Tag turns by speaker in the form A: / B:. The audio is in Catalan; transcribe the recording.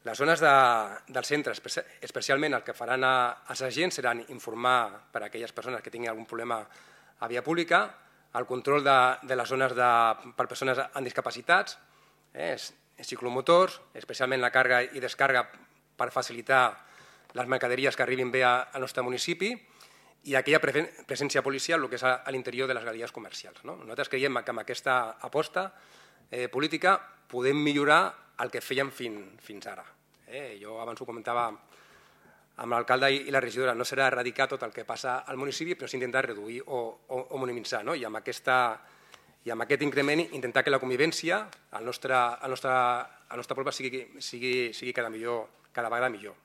A: Les zones del centre, especialment el que faran els agents, seran informar per a aquelles persones que tinguin algun problema a via pública, el control de les zones per persones amb discapacitats, ciclomotors, especialment la càrrega i descàrrega per facilitar les mercaderies que arribin bé al nostre municipi, i aquella presència policial, el que és a l'interior de les galeries comercials. Nosaltres creiem que amb aquesta aposta política podem millorar el que fèiem fins ara. Jo abans ho comentava amb l'alcalde i la regidora, no serà erradicar tot el que passa al municipi, però sí intentar reduir o minimitzar. I amb aquest increment intentar que la convivència al nostre poble sigui cada vegada millor.